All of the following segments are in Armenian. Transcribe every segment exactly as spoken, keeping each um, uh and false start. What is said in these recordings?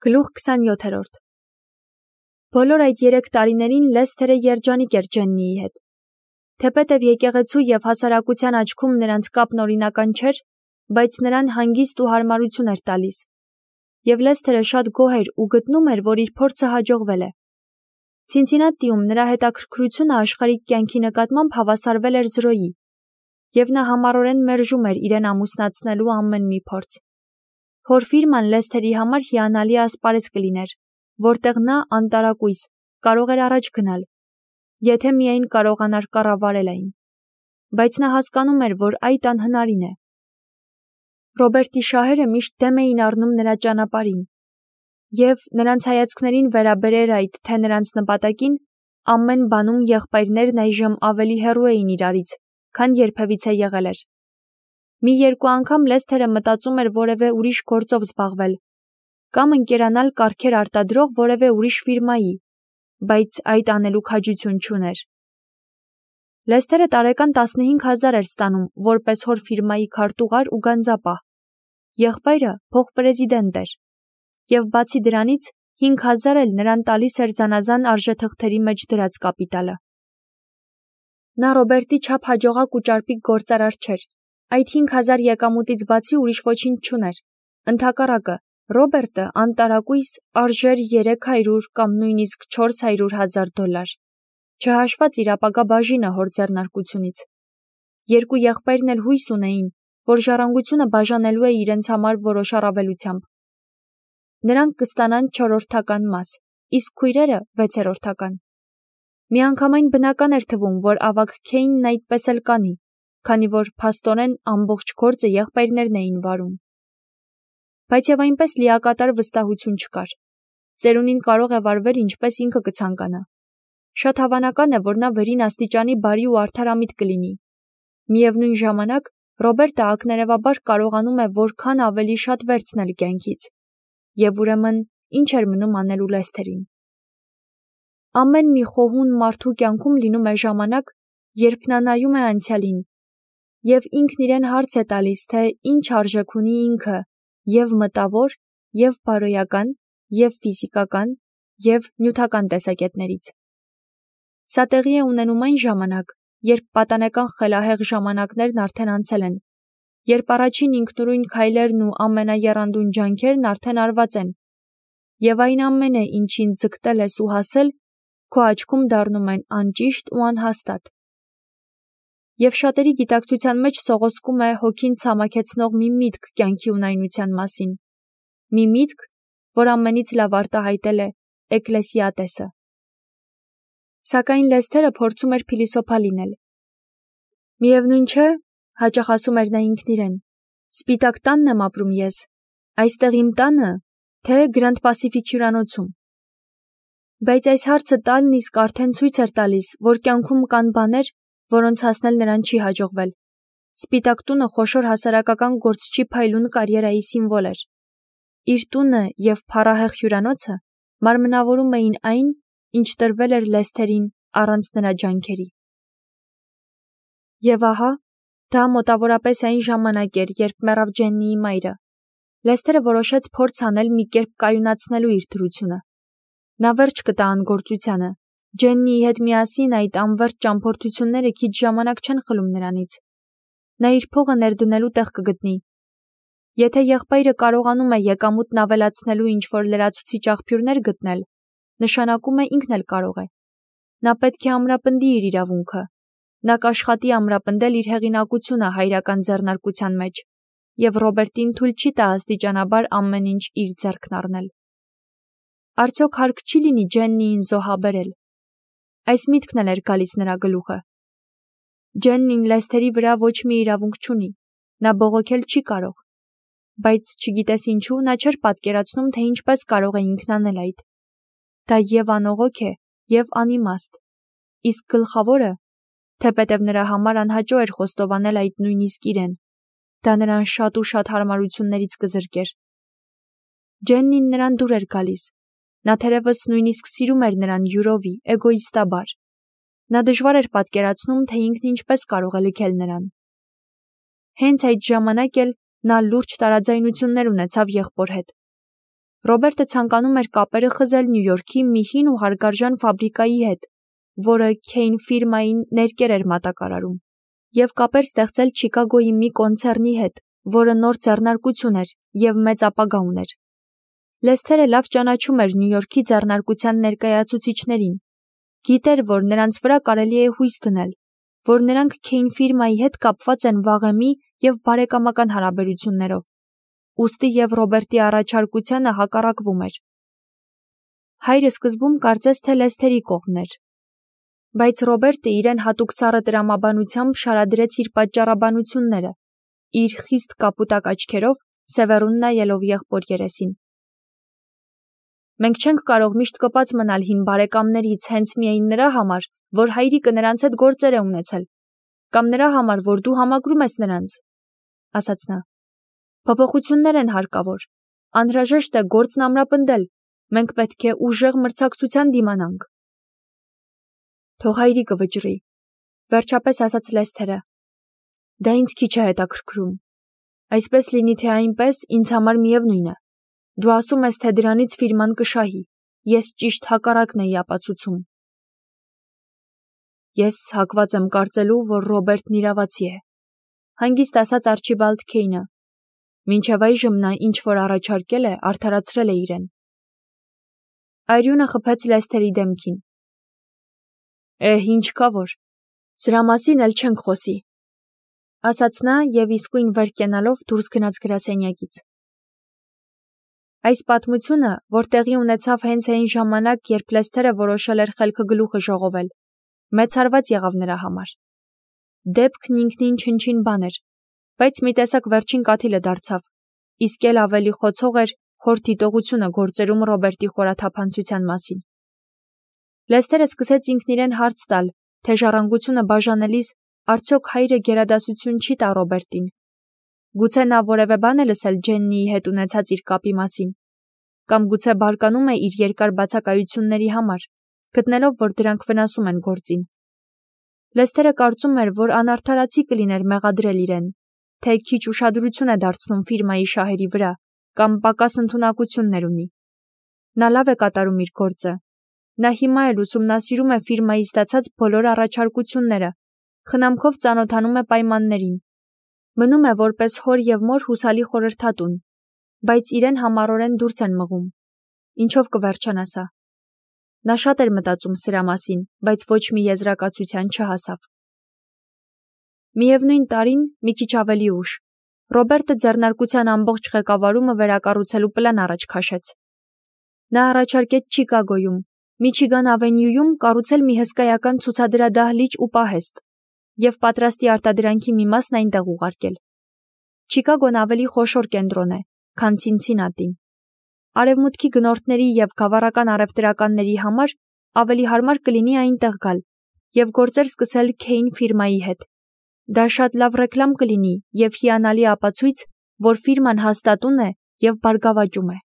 Գլուխ քսանյոթերորդ Բոլոր այդ երեք տարիներին Լեսթերը երջանիկ էր Ջեննիի հետ։ Թեպետև եկեղեցու և հասարակության աչքում նրանց կապն օրինական չէր, բայց նրան հանգիստ ու հարմարություն էր տալիս։ Եվ Լեսթերը շատ գոհ էր ու գտնում էր, որ իր փորձը հաջողվել է։ Ցինցինատիում նրա հետաքրքրությունը աշխարհիկ կյանքի նկատմամբ հավասարվել էր զրոյի, և նա համառորեն մերժում էր իրեն ամուսնացնելու ամեն մի փորձ։ Հոր ֆիրման Լեսթերի համար հիանալի ասպարեզ կլիներ, որտեղ նա անտարակույս կարող էր առաջ գնալ, եթե միայն կարողանար կառավարել այն։ Բայց նա հասկանում էր, որ այդ անհնարին է։ Ռոբերտի շահերը միշտ դեմ էին առնում նրա ճանապարհին, և նրանց հայացքներին վերաբերեր այդ, թե նրանց նպատակին, ամեն բանում եղբայրներն այժմ ավելի հեռու էին իրարից, քան երբևիցե եղել էր։ Մի երկու անգամ Լեսթերը մտածում էր որևէ ուրիշ գործով զբաղվել, կամ ընկերանալ կառքեր արտադրող որևէ ուրիշ ֆիրմայի, բայց այդ անելու քաջություն չուներ։ Լեսթերը տարեկան տասնհինգ հազար էր ստանում որպես հոր ֆիրմայի քարտուղար ու գանձապահ, եղբայրը փոխպրեզիդենտ էր, և բացի դրանից հինգ հազար էլ նրան տալիս էր զանազան արժեթղթերի մեջ դրած կապիտալը։ Նա Ռոբերտի չափ հաջողակ ու ճարպիկ գործարար չէր, այդ հինգ հազար եկամուտից բացի ուրիշ ոչինչ չուներ։ Ընդհակառակը, Ռոբերտը անտարակույս արժեր երեք հարյուր կամ նույնիսկ չորս հարյուր հազար դոլար, չհաշված իր ապագա բաժինը հոր ձեռնարկությունից։ Երկու եղբայրն էլ հույս ունեին, որ ժառանգությունը բաժանելու է իրենց համար որոշ առավելությամբ։ Նրանք կստանան չորրորդական մաս, իսկ քույրերը վեցերորդական։ Միանգամայն բնական էր թվում, որ ավագ Քեյնն այդպես էլ կանի, քանի որ փաստորեն ամբողջ գործը եղբայրներն էին վարում։ Բայց և այնպես լիակատար վստահություն չկար։ Ծերունին կարող է վարվել ինչպես ինքը կցանկանա։ Շատ հավանական է, որ նա վերին աստիճանի բարի ու արդարամիտ կլինի։ Միևնույն ժամանակ, Ռոբերտը ակներևաբար կարողանում է որքան ավելի շատ վերցնել կյանքից։ Եվ ուրեմն, ինչ էր մնում անելու Լեսթերին։ Ամեն մի խոհուն մարդու կյանքում լինում է ժամանակ, երբ նա նայում է անցյալին, և ինքն իրեն հարց է տալիս, թե ինչ արժեք ունի ինքը և մտավոր, և բարոյական, և ֆիզիկական, և նյութական տեսակետներից։ Սա տեղի է ունենում այն ժամանակ, երբ պատանեկան խելահեղ ժամանակներն արդեն անցել են, երբ առաջին ինքնուրույն քայլերն ու ամենաեռանդուն ջանքերն արդեն արված են, և այն ամենը, ինչին ձգտել ես ու հասել, քո աչքում դառնում են անճիշտ ու անհաստատ։ Եվ շատերի գիտակցության մեջ սողոսկում է հոգին ցամաքեցնող մի միտք կյանքի ունայնության մասին, մի միտք, որ ամենից լավ արտահայտել է Էկլեսիատեսը։ Սակայն Լեսթերը փորձում էր փիլիսոփա լինել։ Միևնույն չէ, հաճախ ասում էր նա ինքն իրեն, սպիտակ տանն եմ ապրում ես, այստեղ իմ տանը, թե Գրանդ Պասիֆիկ հյուրանոցում։ Բայց այս հարցը տալն իսկ արդեն ցույց էր տալիս, որ կյանքում կան բաներ, որոնց հասնել նրան չի հաջողվել։ Սպիտակ տունը խոշոր հասարակական գործչի փայլուն կարիերայի սիմվոլ էր։ Իր տունը և փառահեղ հյուրանոցը մարմնավորում էին այն, ինչ տրվել էր Լեսթերին առանց նրա ջանքերի։ Եվ ահա, դա մոտավորապես այն ժամանակ էր, երբ մեռավ Ջեննիի մայրը։ Լեսթերը որոշեց փորձ անել մի կերպ կայունացնելու իր դրությունը։ Նա վերջ կտա անգործությանը։ Ջեննիի հետ միասին այդ անվերջ ճամփորդությունները քիչ ժամանակ չեն խլում նրանից։ Նա իր փողը ներդնելու տեղ կգտնի։ Եթե եղբայրը կարողանում է եկամուտն ավելացնելու ինչ-որ լրացուցիչ աղբյուրներ գտնել, նշանակում է ինքն էլ կարող է։ Նա պետք է ամրապնդի իր իրավունքը։ Նա կաշխատի ամրապնդել իր հեղինակությունը հայրական ձեռնարկության մեջ, և Ռոբերտին թույլ չի տա աստիճանաբար ամեն ինչ իր ձեռքն առնել։ Արդյոք հարկ չի լինի Ջեննիին զոհաբերել։ Այս միտքն էլ էր գալիս նրա գլուխը։ Ջեննին Լեսթերի վրա ոչ մի իրավունք չունի, նա բողոքել չի կարող։ Բայց չգիտես ինչու, նա չէր պատկերացնում, թե ինչպես կարող է ինքն անել այդ։ Դա և անողոք է, և անիմաստ։ Իսկ գլխավորը, թեպետև նրա համար անհաճո էր խոստովանել այդ նույնիսկ իրեն, դա նրան շատ ու շատ հարմարություններից կզրկեր։ Ջեննին նրան դուր էր գալիս։ Նա թերևս նույնիսկ սիրում էր նրան յուրովի, էգոիստաբար։ Նա դժվար էր պատկերացնում, թե ինքն ինչպես կարող է լքել նրան։ Հենց այդ ժամանակ էլ նա լուրջ տարաձայնություններ ունեցավ եղբոր հետ։ Ռոբերտը ցանկանում էր կապերը խզել Նյու Յորքի մի հին ու հարգարժան ֆաբրիկայի հետ, որը Քեյն ֆիրմային ներկեր էր մատակարարում, և կապեր ստեղծել Չիկագոյի մի կոնցեռնի հետ, որը նոր ձեռնարկություն էր և մեծ ապագա ուներ։ Լեսթերը լավ ճանաչում էր Նյու Յորքի ձեռնարկության ներկայացուցիչներին, գիտեր, որ նրանց վրա կարելի է հույս դնել, որ նրանք Քեյն ֆիրմայի հետ կապված են վաղեմի և բարեկամական հարաբերություններով, ուստի և Ռոբերտի առաջարկությանը հակառակվում էր։ Հայրը սկզբում կարծեց, թե Լեսթերի կողմն էր, բայց Ռոբերտը իրեն հատուկ սառը տրամաբանությամբ շարադրեց իր պատճառաբանությունները, իր խիստ կապուտակ աչքերով, սևեռուն նայելով եղբոր երեսին։ Մենք չենք կարող միշտ կպած մնալ հին բարեկամներից հենց միայն նրա համար, որ հայրիկը նրանց հետ գործեր է ունեցել, կամ նրա համար, որ դու համակրում ես նրանց, ասաց նա։ Փոփոխություններ են հարկավոր, անհրաժեշտ է գործն ամրապնդել, մենք պետք է ուժեղ մրցակցության դիմանանք։ Թող հայրիկը վճռի, վերջապես ասաց Լեսթերը։ Դա ինձ քիչ է հետաքրքրում։ Այսպես լինի թե այնպես, ինձ համար միևնույն է։ Դու ասում ես, թե դրանից ֆիրման կշահի, ես ճիշտ հակառակն էի ապացուցում։ Ես հակված եմ կարծելու, որ Ռոբերտն իրավացի է, հանգիստ ասաց Արչիբալդ Քեյնը։ Մինչև այժմ նա ինչ որ առաջարկել է, արդարացրել է իրեն։ Այրյունը խփեց Լեսթերի դեմքին։ Էհ, ինչ կա որ, սրա մասին էլ չենք խոսի, ասաց նա և իսկույն վեր կենալով դուրս գնաց գրասենյակից։ Այս պատմությունը, որ տեղի ունեցավ հենց այն ժամանակ, երբ Լեսթերը որոշել էր խելքը գլուխը ժողովել, մեծ հարված եղավ նրա համար։ Դեպքն ինքնին չնչին բան էր, բայց մի տեսակ վերջին կաթիլը դարձավ, իսկ էլ ավելի խոցող էր հոր դիտողությունը գործերում Ռոբերտի խորաթափանցության մասին։ Լեսթերը սկսեց ինքն իրեն հարց տալ, թե ժառանգությունը բաժանելիս արդյոք հայրը գերադասություն չի տա Ռոբերտին։ Գուցե նա որևէ բան է լսել Ջեննիի հետ ունեցած իր կապի մասին, կամ գուցե բարկանում է իր երկար բացակայությունների համար, գտնելով, որ դրանք վնասում են գործին։ Լեսթերը կարծում էր, որ անարդարացի կլիներ մեղադրել իրեն, թե քիչ ուշադրություն է դարձնում ֆիրմայի շահերի վրա, կամ պակաս ընդունակություններ ունի։ Նա լավ է կատարում իր գործը։ Նա հիմա էլ ուսումնասիրում է ֆիրմայի ստացած բոլոր առաջարկությունները, խնամքով ծանոթանում է պայմաններին։ Մնում է որպես հոր և մոր հուսալի խորհրդատուն, բայց իրեն համառորեն դուրս են մղում։ Ինչով կվերջանա սա։ Նա շատ էր մտածում սրա մասին, բայց ոչ մի եզրակացության չհասավ։ Միևնույն տարին, մի քիչ ավելի ուշ, Ռոբերտը ձեռնարկության ամբողջ ղեկավարումը վերակառուցելու պլան առաջ քաշեց։ Նա առաջարկեց Չիկագոյում, Միչիգան ավենյուում կառուցել մի հսկայական ցուցադրադահլիճ ու պահեստ և պատրաստի արտադրանքի մի մասն այնտեղ ուղարկել։ Չիկագոն ավելի խոշոր կենտրոն է, քան Ցինցինատին։ Արևմուտքի գնորդների և գավառական առևտրականների համար ավելի հարմար կլինի այնտեղ գալ և գործեր սկսել Քեյն ֆիրմայի հետ։ Դա շատ լավ ռեկլամ կլինի և հիանալի ապացույց, որ ֆիրման հաստատուն է և բարգավաճում է։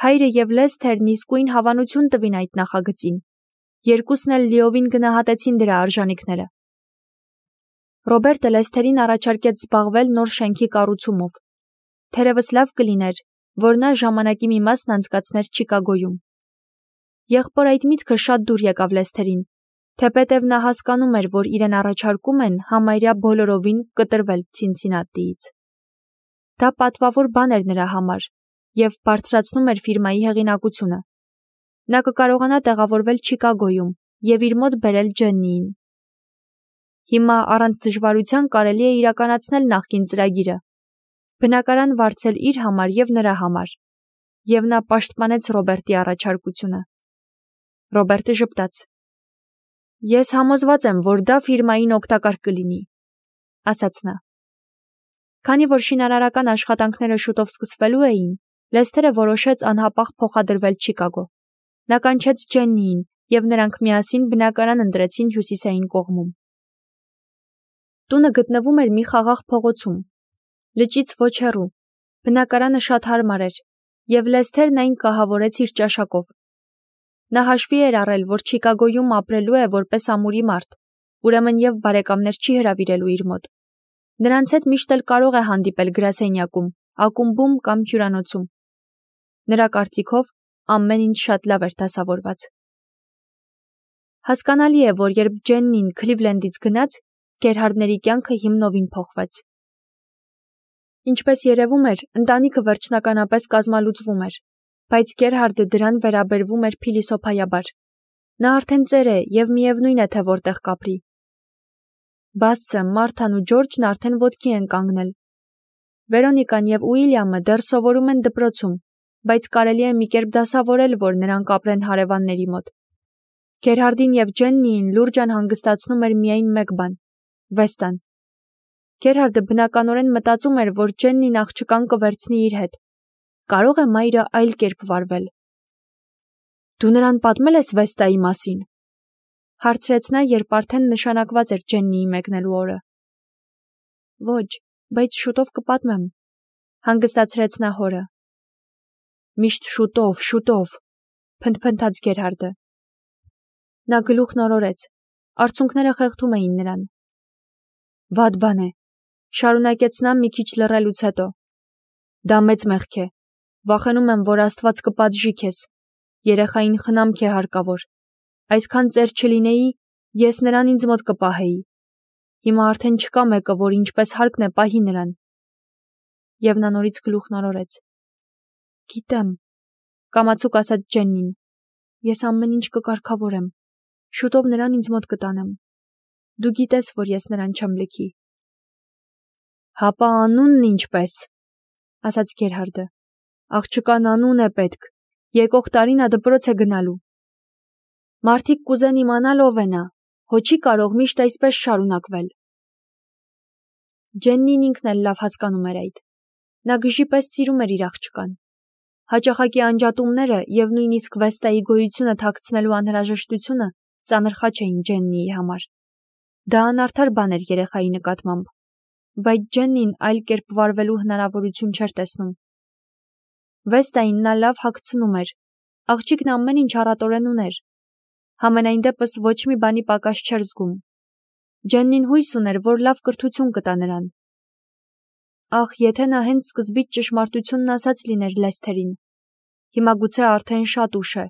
Հայրը և Լեսթերն իսկույն հավանություն տվին այդ նախագծին։ Երկուսն էլ լիովին գնահատեցին դրա արժանիքները։ Ռոբերտը Լեսթերին առաջարկեց զբաղվել նոր շենքի կառուցումով։ Թերևս լավ կլիներ, որ նա ժամանակի մի մասն անցկացներ Չիկագոյում։ Եղբոր այդ միտքը շատ դուր եկավ Լեսթերին, թեպետև նա հասկանում էր, որ իրեն առաջարկում են համարյա բոլորովին կտրվել Ցինցինատիից։ Դա պատվավոր բան էր նրա համար և բարձրացնում էր ֆիրմայի հեղինակությունը։ Նա կկարողանա տեղավորվել Չիկագոյում և իր մոտ բերել Ջեննիին։ Հիմա առանց դժվարության կարելի է իրականացնել նախկին ծրագիրը, բնակարան վարձել իր համար և նրա համար, և նա պաշտպանեց Ռոբերտի առաջարկությունը։ Ռոբերտը ժպտաց։ Ես համոզված եմ, որ դա ֆիրմային օգտակար կլինի, ասաց նա։ Քանի որ շինարարական աշխատանքները շուտով սկսվելու էին, Լեսթերը որոշեց անհապաղ փոխադրվել Չիկագո։ Նա կանչեց Ջեննիին, և նրանք միասին բնակարան ընտրեցին հյուսիսային կողմում։ Տունը գտնվում էր մի խաղաղ փողոցում, լճից ոչ հեռու, բնակարանը շատ հարմար էր, և Լեսթերն այն կահավորեց իր ճաշակով։ Նա հաշվի էր առել, որ Չիկագոյում ապրելու է որպես ամուրի մարդ, ուրեմն և բարեկամներ չի հրավիրելու իր մոտ։ Նրանց հետ միշտ էլ կարող է հանդիպել գրասենյակում, ակումբում կամ հյուրանոցում։ Նրա կարծիքով ամեն ինչ շատ լավ էր դասավորված։ Հասկանալի է, որ երբ Ջեննին Քլիվլենդից գնաց, Գերհարդների կյանքը հիմնովին փոխվեց։ Ինչպես երևում էր, ընտանիքը վերջնականապես կազմալուծվում էր, բայց Գերհարդը դրան վերաբերվում էր փիլիսոփայաբար։ Նա արդեն ծեր է և միևնույն է, թե որտեղ կապրի։ Բասսը, Մարթան ու Ջորջն արդեն ոտքի են կանգնել։ Վերոնիկան և Ուիլյամը դեռ սովորում են դպրոցում, բայց կարելի է մի կերպ դասավորել, որ նրանք ապրեն հարևանների մոտ։ Գերհարդին և Ջեննիին լուրջ անհանգստացնում էր միայն մեկ բան՝ Վեստան։ Գերհարդը բնականորեն մտածում էր, որ Ջեննին աղջկան կվերցնի իր հետ։ Կարո՞ղ է մայրը այլ կերպ վարվել։ Դու նրան պատմել ես Վեստայի մասին, հարցրեց նա, երբ արդեն նշանակված էր Ջեննիի մեկնելու օրը։ Ոչ, բայց շուտով կպատմեմ, հանգստացրեց նա հորը։ Միշտ շուտով, շուտով, փնթփնթաց Գերհարդը։ Նա գլուխն օրորեց, արցունքները խեղդում էին նրան։ Վատ բան է, շարունակեց նա մի քիչ լռելուց հետո։ Դա մեծ մեղք է, վախենում եմ, որ Աստված կպատժի քեզ, երեխային խնամք է հարկավոր, այսքան ծեր չլինեի, ես նրան ինձ մոտ կպահեի, հիմա արդեն չկա մեկը, որ ինչպես հարկն է պահի նրան։ Եվ նա նորից գլուխն օրորեց։ Գիտեմ, կամացուկ ասաց Ջեննին, ես ամեն ինչ կկարգավորեմ, շուտով նրան ինձ մոտ կտանեմ, դու գիտես, որ ես նրան չեմ լքի։ Հապա անունն ինչպես, ասաց Գերհարդը, աղջկան անուն է պետք, եկող տարի նա դպրոց է գնալու։ Մարդիկ կուզեն իմանալ ով է նա, հո չի կարող միշտ այսպես շարունակվել։ Ջեննին ինքն էլ լավ հասկանում էր այդ։ Նա գժի պես սիրում էր իր աղջկան։ Հաճախակի անջատումները և նույնիսկ Վեստայի գոյությունը թաքցնելու անհրաժեշտությունը ծանր խաչ էին Ջեննիի համար։ Դա անարդար բան էր երեխայի նկատմամբ, բայց Ջեննին այլ կերպ վարվելու հնարավորություն չէր տեսնում։ Վեստային նա լավ հագցնում էր, աղջիկն ամեն ինչ առատորեն ուներ։ Համենայն դեպս ոչ մի բանի պակաս չէր զգում։ Ջեննին հույս ուներ, որ լավ կրթություն կտա նրան։ Ախ, եթե նա հենց սկզբից ճշմարտությունն ասած լիներ Լեսթերին։ Հիմա գուցե արդեն շատ ուշ է։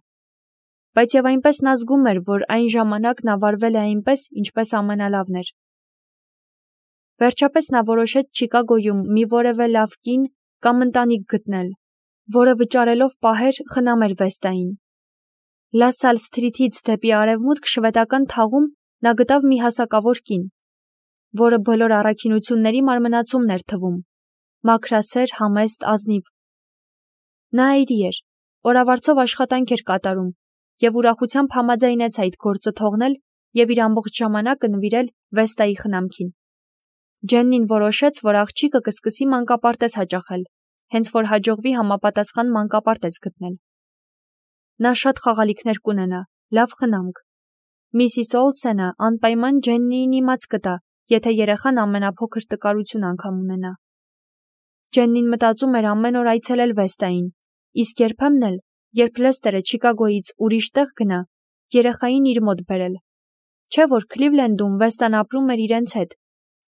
Բայց և այնպես նա զգում էր, որ այն ժամանակ նա վարվել է այնպես, ինչպես ամենալավն էր։ Վերջապես նա որոշեց Չիկագոյում մի որևէ լավ կին կամ ընտանիք գտնել, որը վճարելով պահեր խնամեր Վեստային։ Լասալ Սթրիթից դեպի արևմուտք շվեդական թաղում նա գտավ մի հասակավոր կին, որը բոլոր առաքինությունների մարմնացումն էր թվում, մաքրասեր, համեստ, ազնիվ։ Նա այրի էր, օրավարձով աշխատանք էր կատարում և ուրախությամբ համաձայնեց այդ գործը թողնել և իր ամբողջ ժամանակը նվիրել Վեստայի խնամքին։ Ջեննին որոշեց, որ աղջիկը կսկսի մանկապարտեզ հաճախել, հենց որ հաջողվի համապատասխան մանկապարտեզ գտնել։ Նա շատ խաղալիքներ կունենա, լավ խնամք։ Միսիս Օլսենը անպայման Ջեննիին իմաց կտա, եթե երեխան ամենափոքր տկարություն անգամ ունենա։ Ջեննին մտածում էր ամեն օր այցելել Վեստային, իսկ երբեմն էլ, երբ Լեսթերը Չիկագոյից ուրիշ տեղ գնա, երեխային իր մոտ բերել։ Չէ՞ որ Քլիվլենդում Վեստան ապրում էր իրենց հետ,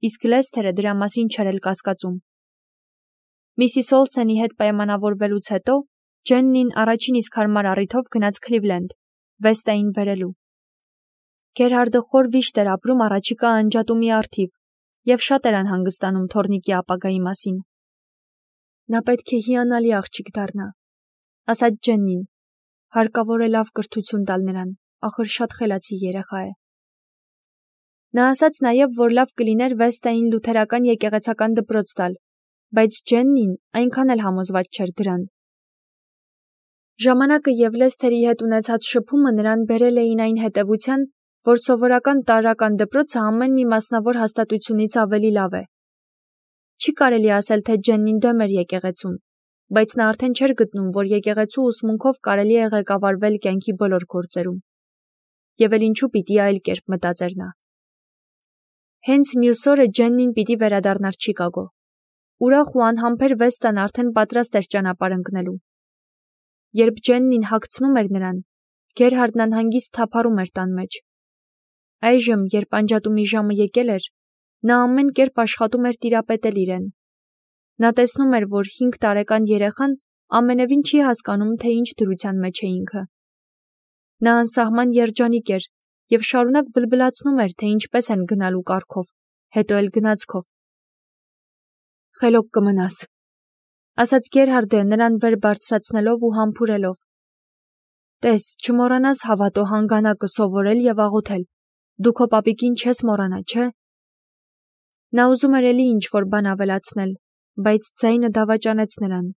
իսկ Լեսթերը դրա մասին չէր էլ կասկածում։ Միսիս Օլսենի հետ պայմանավորվելուց հետո Ջեննին առաջին իսկ հարմար առիթով գնաց Քլիվլենդ, Վեստային բերելու։ Գերհարդը խոր վիշտ էր ապրում առաջիկա անջատումի առթիվ և շատ էր անհանգստանում թոռնիկի ապագայի մասին։ Նա պետք է հիանալի աղջիկ դառնա, ասաց Ջեննին, հարկավոր է լավ կրթություն տալ նրան, ախր շատ խելացի երեխա է։ Նա ասաց նաև, որ լավ կլիներ Վեստային լութերական եկեղեցական դպրոց տալ, բայց Ջեննին այնքան էլ համոզված չէր դրան։ Ժամանակը և Լեսթերի հետ ունեցած շփումը նրան բերել էին այն հետևության, որ սովորական տարրական դպրոցը ամեն մի մասնավոր հաստատությունից ավելի լավ է։ Չի կարելի ասել, թե Ջեննին դեմ էր եկեղեցուն, բայց նա արդեն չէր գտնում, որ եկեղեցու ուսմունքով կարելի է ղեկավարվել կյանքի բոլոր գործերում։ Եվ էլ ինչու պիտի այլ կերպ մտածեր նա։ Հենց մյուս օրը Ջեննին պիտի վերադառնար Չիկագո։ Ուրախ ու անհամբեր Վեստան արդեն պատրաստ էր ճանապարհ ընկնելու։ Երբ Ջեննին հագցնում էր նրան, Գերհարդն անհանգիստ թափառում էր տան մեջ։ Այժմ, երբ անջատումի ժամը եկել էր, նա ամեն կերպ աշխատում էր տիրապետել իրեն։ Նա տեսնում էր, որ հինգ տարեկան երեխան ամենևին չի հասկանում, թե ինչ դրության մեջ է ինքը։ Նա անսահման երջանիկ էր և շարունակ բլբլացնում էր, թե ինչպես են գնալու կարգով, հետո էլ գնացքով։ «Խելոք կմնաս», ասաց Գերհարդը նրան վեր բարձրացնելով ու համբուրելով։ «Տես, չմոռանաս հավատո հանգանակը սովորել և աղոթել, դու քո պապիկին չես մոռանա, չէ՞։ Նա ուզում էր էլի ինչ-որ բան ավելացնել, բայց ձայնը դավաճանեց նրան։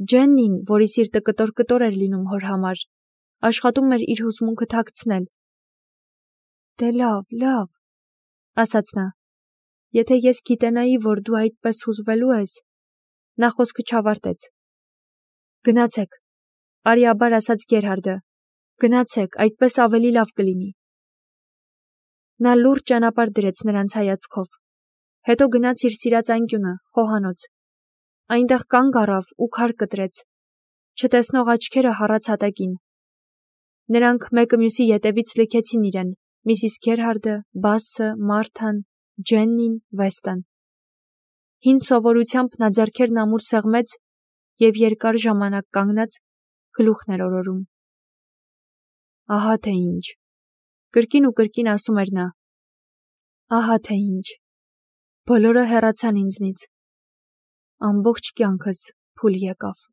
Ջեննին, որի սիրտը կտոր-կտոր էր լինում հոր համար, աշխատում էր իր հուզմունքը թաքցնել։ «Դե լավ, լավ», ասաց նա, «եթե ես գիտենայի, որ դու այդպես հուզվելու ես»։ Նա խոսքը չավարտեց։ «Գնացեք», արիաբար ասաց Գերհարդը, «գնացեք, այդպես ավելի լավ կլինի»։ Նա լուրջ ճանապարհ դրեց նրանց հայացքով, հետո գնաց իր սիրած անկյունը, խոհանոց։ Այնտեղ կանգ առավ ու քար կտրեց։ Չտեսնող աչքերը հառաց հատակին։ Նրանք մեկը մյուսի ետևից լքեցին իրեն, միսիս Գերհարդը, Բասսը, Մարթան, Ջեննին, Վեստան։ Հին սովորությամբ նա ձեռքերն ամուր սեղմեց և երկար ժամանակ կանգնած գլուխն էր օրորում։ Ահա թե ինչ, կրկին ու կրկին ասում էր նա։ Ահա թե ինչ, բոլորը հեռացան ինձնից։ Ամբողջ կյանքս փուլ եկավ։